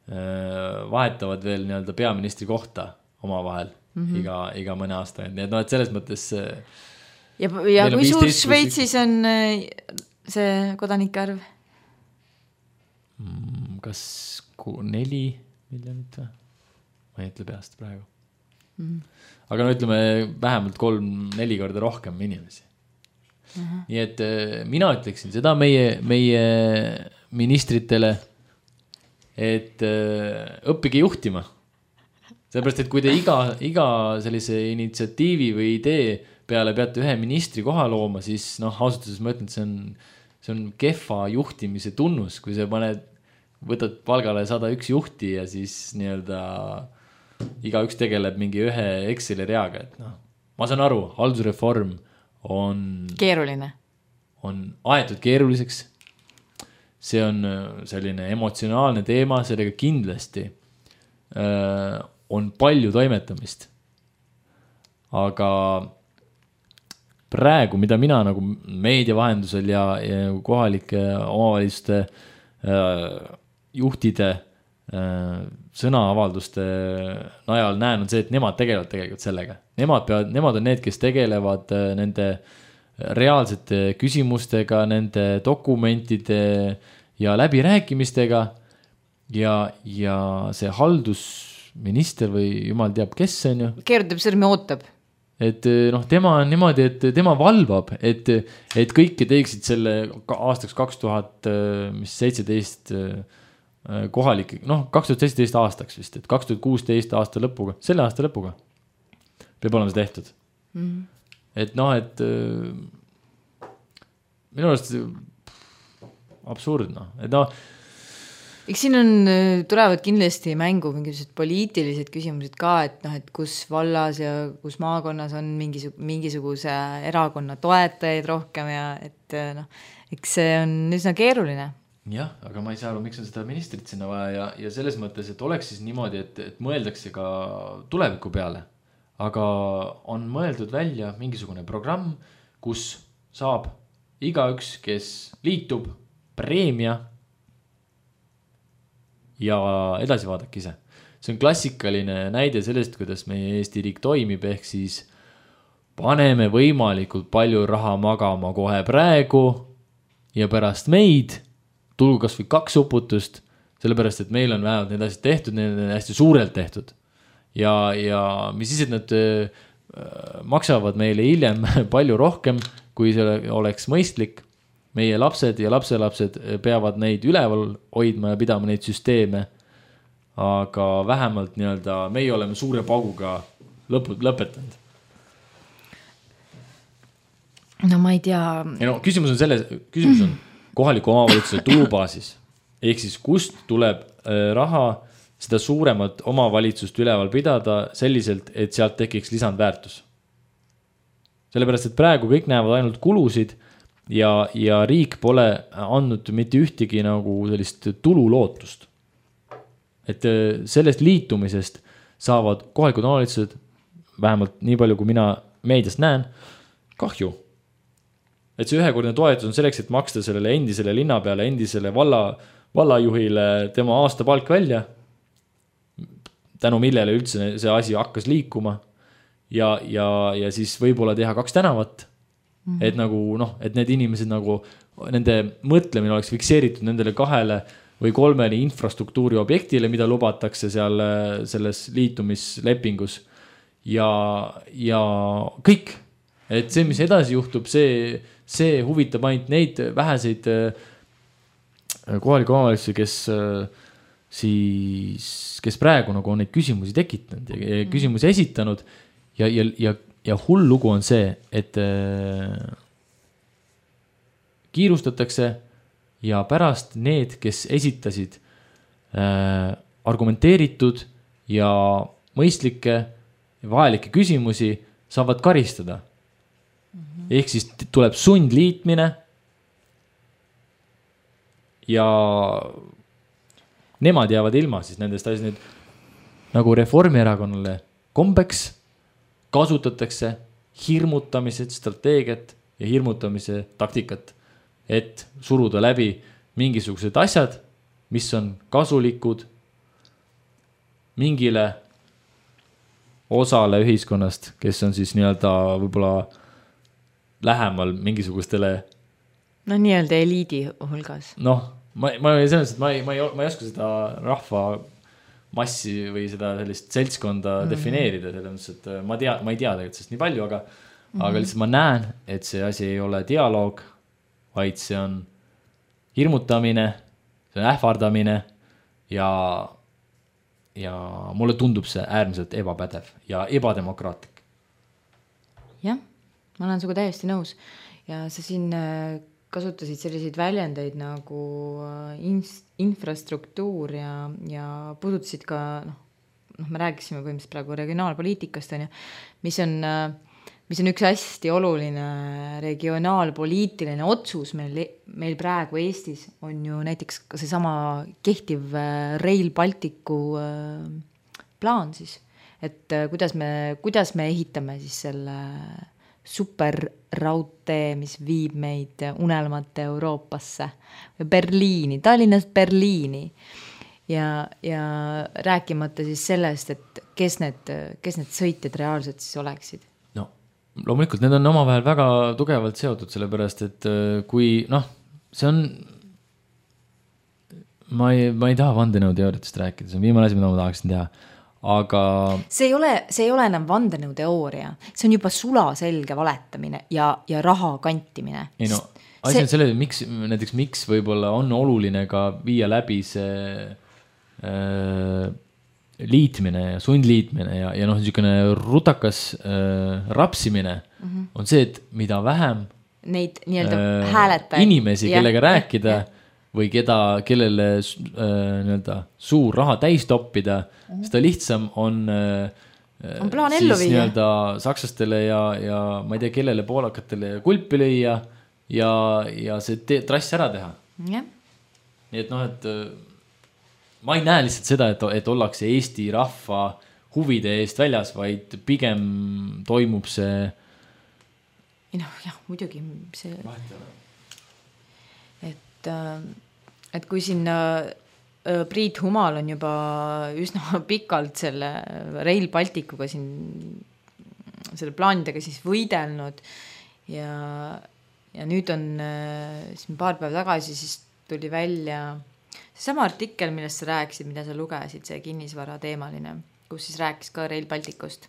vahetavad veel nii-öelda peaministri kohta omavahel mm-hmm. iga, iga mõne aasta. Nii et, no, et selles mõttes... Ja, ja kui suur Šveitsis on see kodanike arv? Kas neli miljonit või? Ma ei ütle peast praegu. Mm-hmm. Aga no ütleme vähemalt kolm-neli korda rohkem inimesi. Uh-huh. Nii et mina ütleksin seda meie, meie ministritele, et õppige juhtima. Sellepärast, et kui te iga, iga sellise initsiatiivi või idee peale peate ühe ministri koha looma, siis noh, ausatuses ma ütlen, et see on, see on kehva juhtimise tunnus, kui sa paned, võtad palgale sada üks juhti ja siis nii-öelda iga üks tegeleb mingi ühe Exceli reaga, et noh, ma saan aru, haldusreform on keeruline, on aetud keeruliseks, see on selline emotsionaalne teema, sellega kindlasti äh, on palju toimetamist, aga praegu, mida mina nagu meedia vahendusel ja, ja kohalike omavalitsuste äh, juhtide äh, sõnaavalduste najal näen, on see, et nemad tegelevad tegelikult sellega. Nemad, peavad, nemad on need, kes tegelevad nende reaalsete küsimustega, nende dokumentide ja läbirääkimistega ja, ja see haldusminister või jumal teab, kes see on ju. Keerutab sõrmi ootab. Et noh, tema on niimoodi, et tema valvab, et, et kõike teeksid selle aastaks kaks tuhat seitseteist kohalik, noh, kaks tuhat seitseteist aastaks vist, et kaks tuhat kuusteist aasta lõpuga, selle aasta lõpuga peab olema see tehtud. Mm-hmm. Et noh, et minu arust absurd, noh, et noh. Eks siin on, tulevad kindlasti mängu mingisugused poliitilised küsimused ka, et noh, et kus vallas ja kus maakonnas on mingisug, mingisuguse erakonna toetajaid rohkem ja et noh, eks see on üsna keeruline. Jah, aga ma ei saa aru, miks on seda ministrit sinna vaja ja, ja selles mõttes, et oleks siis niimoodi, et, et mõeldakse ka tuleviku peale, aga on mõeldud välja mingisugune programm, kus saab igaüks, kes liitub, preemia ja edasi vaadake ise. See on klassikaline näide sellest, kuidas meie Eesti riik toimib, ehk siis paneme võimalikult palju raha magama kohe praegu ja pärast meid tulgu kas või kaks uputust, sellepärast, et meil on vähemalt need asjad tehtud, need on hästi suurelt tehtud. Ja, ja mis siis, et nad äh, maksavad meile hiljem palju rohkem, kui see oleks mõistlik. Meie lapsed ja lapselapsed peavad neid üleval hoidma ja pidama neid süsteeme, aga vähemalt nii-öelda meie oleme suure pauguga lõpud, lõpetanud. No ma ei tea. Ja no, küsimus on selles, küsimus on kohaliku omavalitsuse tulubaasis. Ehk siis kust tuleb raha seda suuremat omavalitsust üleval pidada selliselt, et sealt tekiks lisandväärtus. Sellepärast, et praegu kõik näevad ainult kulusid ja, ja riik pole andnud mitte ühtegi nagu sellist tululootust. Et sellest liitumisest saavad kohalikud omavalitsused, vähemalt nii palju, kui mina meediast näen, kahju. Et see ühekordne toetus on selleks, et maksta sellele endisele linna peale, endisele valla, vallajuhile tema aastapalk välja. tänu millele üldse see asi hakkas liikuma ja, ja, ja siis võib-olla teha kaks tänavat, mm-hmm. et nagu noh, et need inimesed nagu, nende mõtlemine oleks fikseeritud nendele kahele või kolmele infrastruktuuri objektile, mida lubatakse seal selles liitumislepingus ja, ja kõik, et see, mis edasi juhtub, see, see huvitab ainult neid väheseid kohaliku omavalitsusi, kes siis, kes praegu nagu on neid küsimusi tekitanud ja küsimusi esitanud ja, ja, ja, ja hull lugu on see, et kiirustatakse ja pärast need, kes esitasid argumenteeritud ja mõistlikke ja vajalikke küsimusi, saavad karistada. Mm-hmm. Ehk siis tuleb sundliitmine ja nemad jäävad ilma siis nendest asjad, nüüd nagu Reformierakonnale kombeks kasutatakse hirmutamise strateegiat ja hirmutamise taktikat, et suruda läbi mingisugused asjad, mis on kasulikud mingile osale ühiskonnast, kes on siis nii-öelda võib-olla lähemal mingisugustele no nii-öelda eliidi hulgas. Noh, ma, ma, selles, ma, ei, ma, ei, ma ei oska seda rahva massi või seda sellist seltskonda mm-hmm. defineerida, selles mõttes, et ma, tea, ma ei tea tegelikult sellest nii palju, aga, mm-hmm. aga lihtsalt ma näen, et see asi ei ole dialoog, vaid see on hirmutamine, see on ähvardamine ja, ja mulle tundub see äärmiselt ebapädev ja ebademokraatlik. Jah, ma olen sinuga täiesti nõus ja sa siin kasutasid selliseid väljendeid nagu infrastruktuur ja, ja puudutasid ka, noh, noh, me rääkisime põhimõtteliselt praegu regionaalpoliitikast, on ju, mis on, mis on üks hästi oluline regionaalpoliitiline otsus meil, meil praegu Eestis, on ju näiteks ka see sama kehtiv Rail Balticu plaan siis, et kuidas me, kuidas me ehitame siis selle superraudtee, mis viib meid unelmate Euroopasse või Berliini, Tallinnast Berliini ja, ja rääkimata siis sellest, et kes need, kes need sõitjad reaalselt siis oleksid. No, loomulikult need on omavahel väga tugevalt seotud, sellepärast, et kui, noh, see on, ma ei, ma ei taha vandenõuteooriatest rääkida, see on viimane asi, mida ma tahaksin teha. Aga see ei ole, see ei ole enam vandenõuteooria, see on juba sulaselge valetamine ja, ja raha kantimine. Ei no, asi on selle, miks, näiteks miks võib-olla on oluline ka viia läbi see äh, liitmine ja sundliitmine ja, ja noh, niisugune rutakas äh, rapsimine mm-hmm. on see, et mida vähem neid nii-öelda äh, hääletajaid inimesi, ja, kellega rääkida ja, ja. või keda, kellele äh, nii-öelda suur raha täis toppida, mm-hmm. seda lihtsam on, äh, on plaan ellu viia. Nii-öelda saksastele ja, ja ma ei tea, kellele poolakatele kulpi lüüa ja, ja see te- trass ära teha. Yeah. Nii et noh, et ma ei näe lihtsalt seda, et, et ollakse Eesti rahva huvide eest väljas, vaid pigem toimub see ei noh, jah, muidugi see et et kui siin Priit Humal on juba üsna pikalt selle Rail Balticuga siin selle plaanidega siis võidelnud ja, ja nüüd on siin paar päeva tagasi siis tuli välja see sama artikkel, millest sa rääkisid, mida sa lugesid, see kinnisvara teemaline, kus siis rääkis ka Rail Balticust.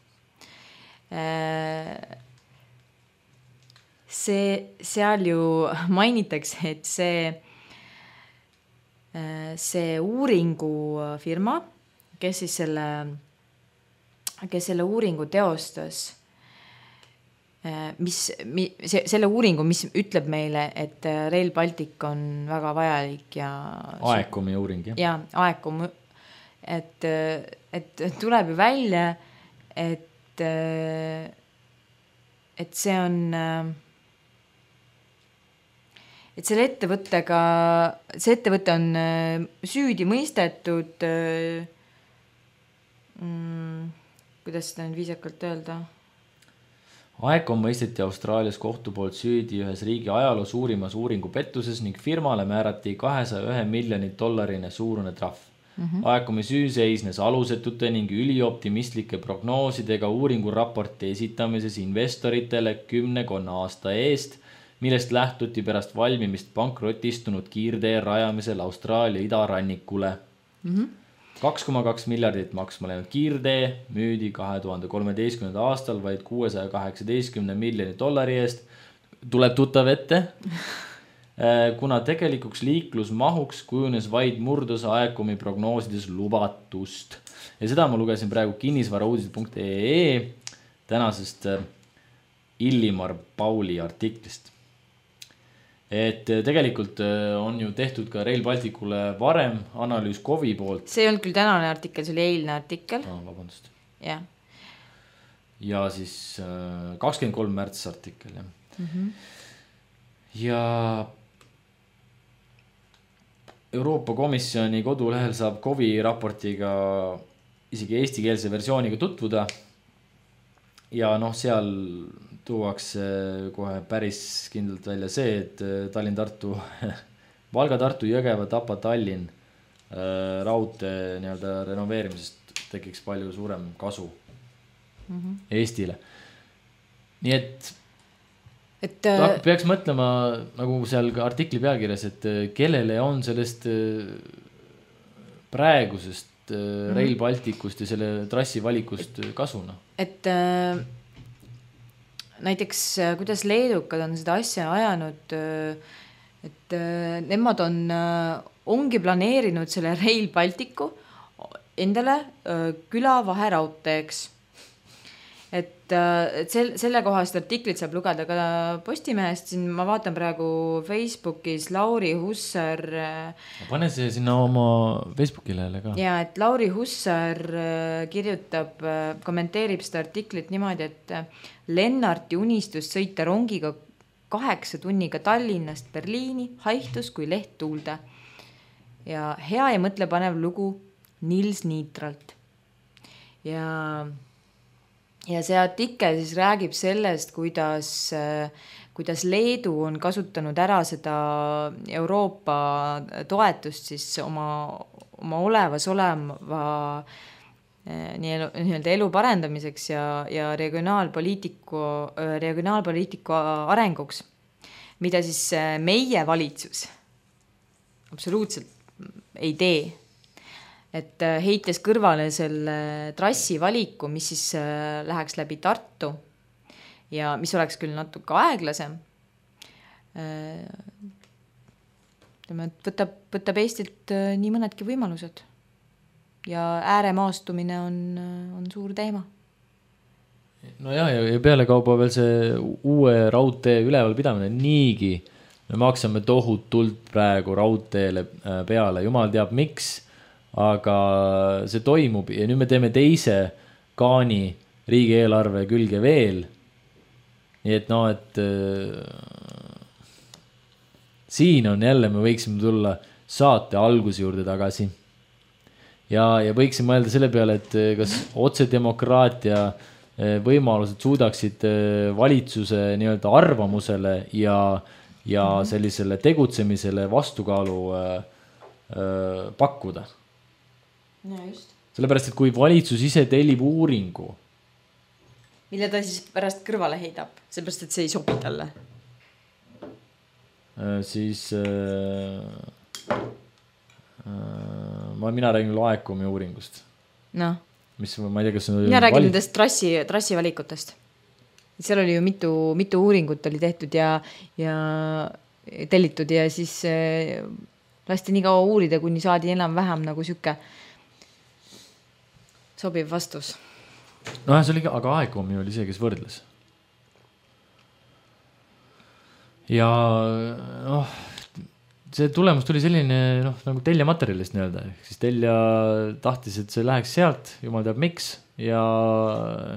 See, seal ju mainitakse, et see see uuringufirma, kes siis selle, kes selle uuringu teostas, mis, see, selle uuringu, mis ütleb meile, et Rail Baltic on väga vajalik ja Aekomi uuring, jah? Ja, Aekom, et, et tuleb ju välja, et, et see on et selle ettevõttega, see ettevõte on süüdi mõistetud, mm, kuidas seda nüüd viisakalt öelda? Aekom mõisteti Austraalias kohtu poolt süüdi ühes riigi ajaloo suurimas uuringu pettuses ning firmale määrati kahesaja ühe miljoni dollarine suurune trahv. Mm-hmm. Aekumi süü seisnes alusetute ning ülioptimistlike prognoosidega uuringuraporti esitamises investoritele kümnekonna aasta eest, millest lähtuti pärast valmimist pankrotistunud kiirtee rajamisel Austraalia idarannikule. Mm-hmm. kaks koma kaks miljardit maksma läinud kiirtee müüdi kahe tuhande kolmeteistkümnenda aastal vaid kuuesaja kaheksateistkümne miljoni dollari eest. Tuleb tuttav ette, kuna tegelikuks liiklusmahuks kujunes vaid murdosa Aekumi prognoosides lubatust. Ja seda ma lugesin praegu kinnisvarauudised punkt ee tänasest Illimar Pauli artiklist. Et tegelikult on ju tehtud ka Rail Balticule varem analüüs K O V-i poolt. See ei olnud küll tänane artikkel, see oli eilne artikkel. No, vabandust. Ja. Ja siis kakskümmend kolm märts artikkel. Ja, mm-hmm. ja Euroopa Komisjoni kodulehel saab K O V-i raportiga isegi eestikeelse versiooniga tutvuda. Ja noh, seal tuuakse kohe päris kindlalt välja see, et Tallinn-Tartu, Valga-Tartu, Jõgeva, Tapa, Tallinn raudtee nii-öelda renoveerimisest tekiks palju suurem kasu mm-hmm. Eestile. Nii et, et ta, peaks mõtlema nagu seal ka artikli pealkirjas, et kellele on sellest praegusest mm-hmm. Rail Balticust ja selle trassi valikust kasuna. Et äh, näiteks kuidas leedukad on seda asja ajanud, et äh, nemad on, äh, ongi planeerinud selle Rail Balticu endale äh, külavahe raudteeks. Et, et selle kohast artiklit saab lugeda ka Postimehest. Siin ma vaatan praegu Facebookis Lauri Hussar. Pane see sinna oma Facebooki lehele ka. Ja, et Lauri Hussar kirjutab, kommenteerib seda artiklit niimoodi, et Lennarti unistus sõita rongiga kaheksa tunniga Tallinnast Berliini haihtus kui leht tuulde. Ja hea ja mõtlepanev lugu Nils Niitralt. Ja... Ja see artikkel siis räägib sellest, kuidas, kuidas Leedu on kasutanud ära seda Euroopa toetust siis oma, oma olevas oleva nii-öelda elu parendamiseks ja, ja regionaalpoliitiku, regionaalpoliitiku arenguks, mida siis meie valitsus absoluutselt ei tee. Et heites kõrvale selle trassi valiku, mis siis läheks läbi Tartu ja mis oleks küll natuke aeglasem, võtab, võtab Eestilt nii mõnedki võimalused ja ääremaastumine on, on suur teema. No jah, ja peale kauba veel see uue raudtee ülevalpidamine niigi. Me maksame tohutult praegu raudteele peale, jumal teab miks. Aga see toimub ja nüüd me teeme teise kaani riigieelarve külge veel. Nii et no, et äh, siin on jälle, me võiksime tulla saate alguse juurde tagasi. Ja, ja võiksime mõelda selle peale, et kas otsedemokraatia võimalused suudaksid valitsuse nii-öelda arvamusele ja, ja sellisele tegutsemisele vastukaalu äh, äh, pakkuda. Ja just. Sellepärast, et kui valitsus ise tellib uuringu, mille ta siis pärast kõrvale heidab, sellepärast, et see ei sobi talle, siis äh, äh, mina räägin Aekumi uuringust. No. Mis, ma ei tea, kas on mina räägin valit... nendest trassi, trassi valikutest. Seal oli ju mitu, mitu uuringut oli tehtud ja, ja tellitud ja siis äh, lasti nii kaua uurida, kuni saadi enam vähem nagu süke sobiv vastus. No see oli, aga Aekumi oli see, kes võrdles. Ja noh, see tulemus tuli selline noh, nagu telja materjalist nii-öelda. Siis telja tahtis, et see läheks sealt, jumal teab miks. Ja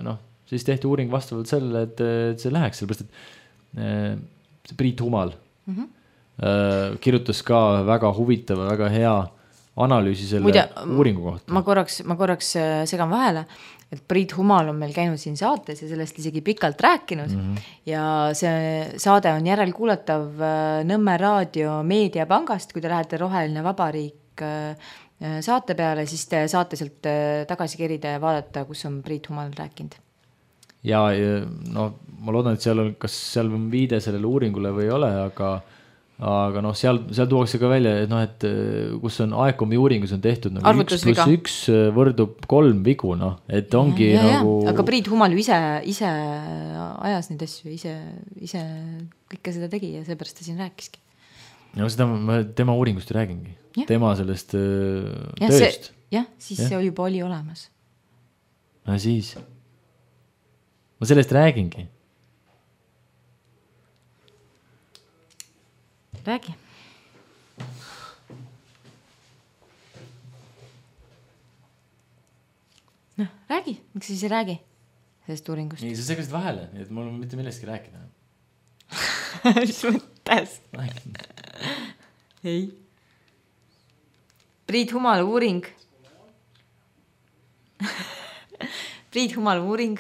noh, siis tehti uuring vastavalt sellele, et, et see läheks. Sellepärast, et see Priit Humal mm-hmm. kirjutas ka väga huvitava, väga hea analüüsi selle Muide, uuringu kohta. Ma korraks, ma korraks segan vahele, et Priit Humal on meil käinud siin saates ja sellest isegi pikalt rääkinud mm-hmm. ja see saade on järelkuulatav Nõmme raadio meediapangast, kui te lähete Roheline Vabariik saate peale, siis te saate sealt tagasi kerida ja vaadata, kus on Priit Humal rääkinud. Ja no ma loodan, et seal on, kas seal on viide sellele uuringule või ei ole, aga aga noh, seal, seal tuuakse ka välja, et noh, et kus on A E C O M-i uuringus on tehtud nagu üks pluss üks võrdub kolm vigu, noh, et ongi ja, nagu... Ja, aga Priit Humal ju ise, ise ajas neid asju, ise, ise kõike seda tegi ja seepärast ta siin rääkiski. No seda ma tema uuringust räägingi. Ja. Tema sellest ja, tööst. Jah, siis ja. See juba oli olemas. No siis. Ma sellest räägingi. Räägi. Noh, räägi. Miks sa siis ei räägi sellest uuringust? Nii, sa segasid vahele, nii et mul on mitte millestki rääkida. Mis mõttes? Ei. Priit Humal uuring. Priit Humal uuring.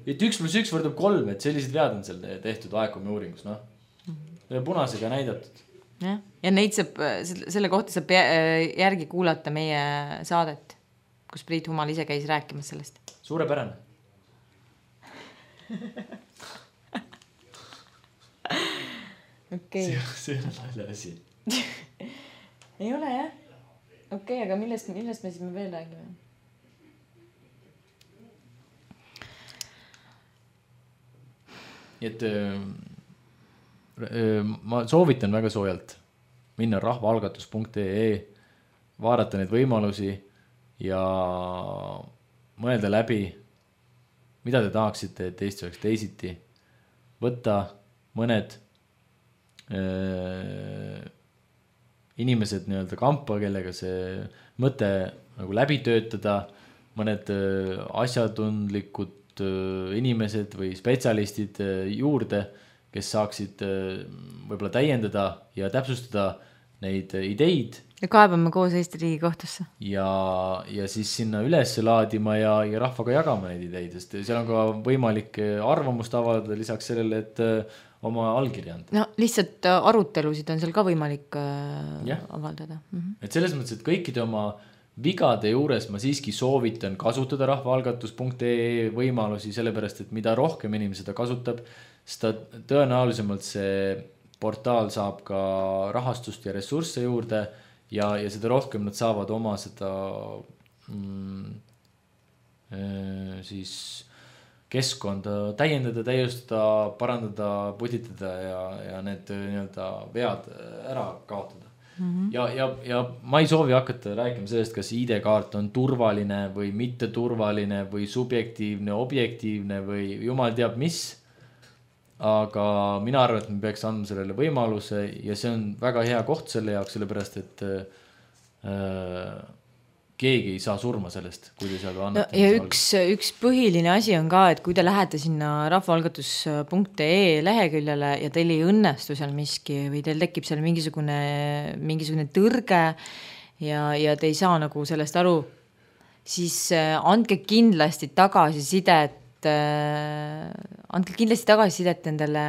Et üks pluss üks võrdub kolm, et sellised vead on seal tehtud A E C O M-i uuringus, noh. Mm-hmm. Punasega näidatud. Ja, ja neid saab, selle kohta saab järgi kuulata meie saadet, kus Priit Humal ise käis rääkimas sellest. Suurepärane. Okay. See, see on nalja asi. Ei ole, jah? Okei, okay, aga millest, millest me siis me veel räägime? Et öö, öö, ma soovitan väga soojalt minna rahvaalgatus punkt ee, vaadata neid võimalusi ja mõelda läbi, mida te tahaksite, et Eesti oleks teisiti. Võtta mõned öö, inimesed nii-öelda kampa, kellega see mõte nagu läbi töötada, mõned öö, asjatundlikud inimesed või spetsialistid juurde, kes saaksid võib-olla täiendada ja täpsustada neid ideid. Ja kaebame koos Eesti Riigikohtusse. Ja, ja siis sinna üles laadima ja, ja rahvaga jagama neid ideid, sest seal on ka võimalik arvamust avaldada lisaks sellele, et oma allkirja anda. No lihtsalt arutelusid on seal ka võimalik ja. Avaldada. Mm-hmm. Et selles mõttes, et kõikide oma vigade juures ma siiski soovitan kasutada rahvaalgatus punkt ee võimalusi, sellepärast, et mida rohkem inimene seda kasutab, seda tõenäolisemalt see portaal saab ka rahastust ja ressursse juurde ja, ja seda rohkem nad saavad oma seda mm, siis keskkonda täiendada, täiustada, parandada, putitada ja, ja need nii-öelda vead ära kaotada. Mm-hmm. Ja, ja, ja ma ei soovi hakata rääkima sellest, kas I D-kaart on turvaline või mitte turvaline või subjektiivne, objektiivne või jumal teab mis. Aga mina arvan, et me peaks andma sellele võimaluse ja see on väga hea koht selle jaoks, sellepärast, et äh, keegi ei saa surma sellest, kui te seal annate. No, ja üks, üks põhiline asi on ka, et kui te lähete sinna rahvaalgatus punkt ee leheküljele ja teil ei õnnestu seal miski või teil tekib seal mingisugune, mingisugune tõrge ja, ja te ei saa nagu sellest aru, siis andke kindlasti tagasisidet, andke kindlasti tagasisidet nendele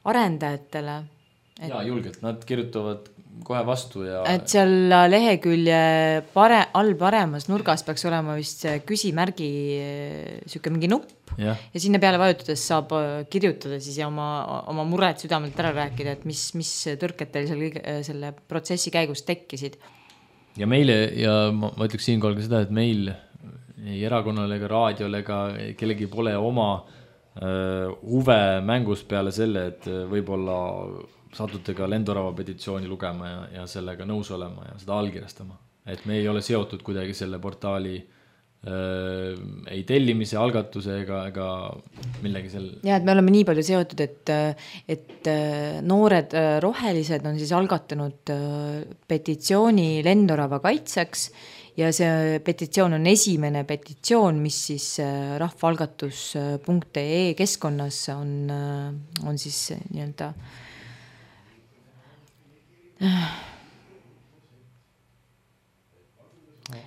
arendajatele. Et, ja, julgelt, nad kirjutavad kohe vastu ja... Et seal lehekülje pare, all paremas nurgas peaks olema vist küsimärgi süke mingi nupp ja. Ja sinna peale vajutades saab kirjutada siis ja oma, oma mured südamelt ära rääkida, et mis, mis tõrked teil seal selle protsessi käigus tekkisid. Ja meile, ja ma, ma ütleks siinkohal ka seda, et meil ei erakonnale ega raadiole ega kellegi pole oma äh, huve mängus peale selle, et võib-olla satute ka Lendorava petitsiooni lugema ja, ja sellega nõus olema ja seda allkirjastama. Et me ei ole seotud kuidagi selle portaali äh, ei tellimise, algatuse ega, ega millegi sel... Ja, et me oleme nii palju seotud, et, et noored rohelised on siis algatanud petitsiooni Lendorava kaitseks ja see petitsioon on esimene petitsioon, mis siis rahvaalgatus punkt ee keskkonnas on, on siis nii-öelda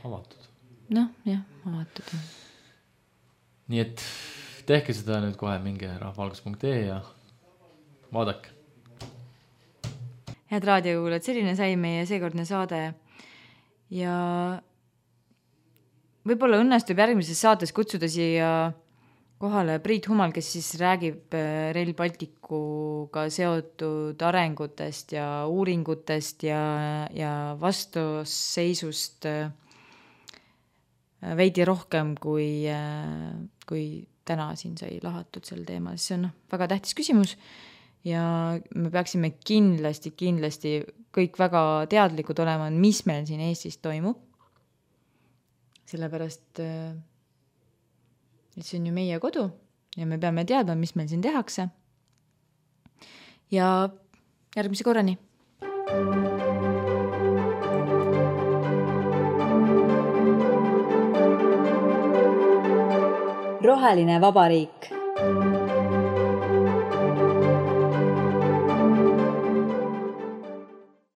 avatud. Noh, jah, avatud. Nii et tehke seda nüüd kohe minge rahvaalgatus punkt ee ja vaadake. head raadiokuulajad, selline sai meie seekordne saade ja võib-olla õnnestub järgmises saates kutsuda siia kohale Priit Humal, kes siis räägib Rail Balticuga seotud arengutest ja uuringutest ja, ja vastusseisust veidi rohkem, kui, kui täna siin sai lahatud sel teemal. See on väga tähtis küsimus ja me peaksime kindlasti, kindlasti kõik väga teadlikud olema, mis meil siin Eestis toimub. Sellepärast, et see on ju meie kodu ja me peame teadma, mis meil siin tehakse. Ja järgmise korrani. Roheline vabariik.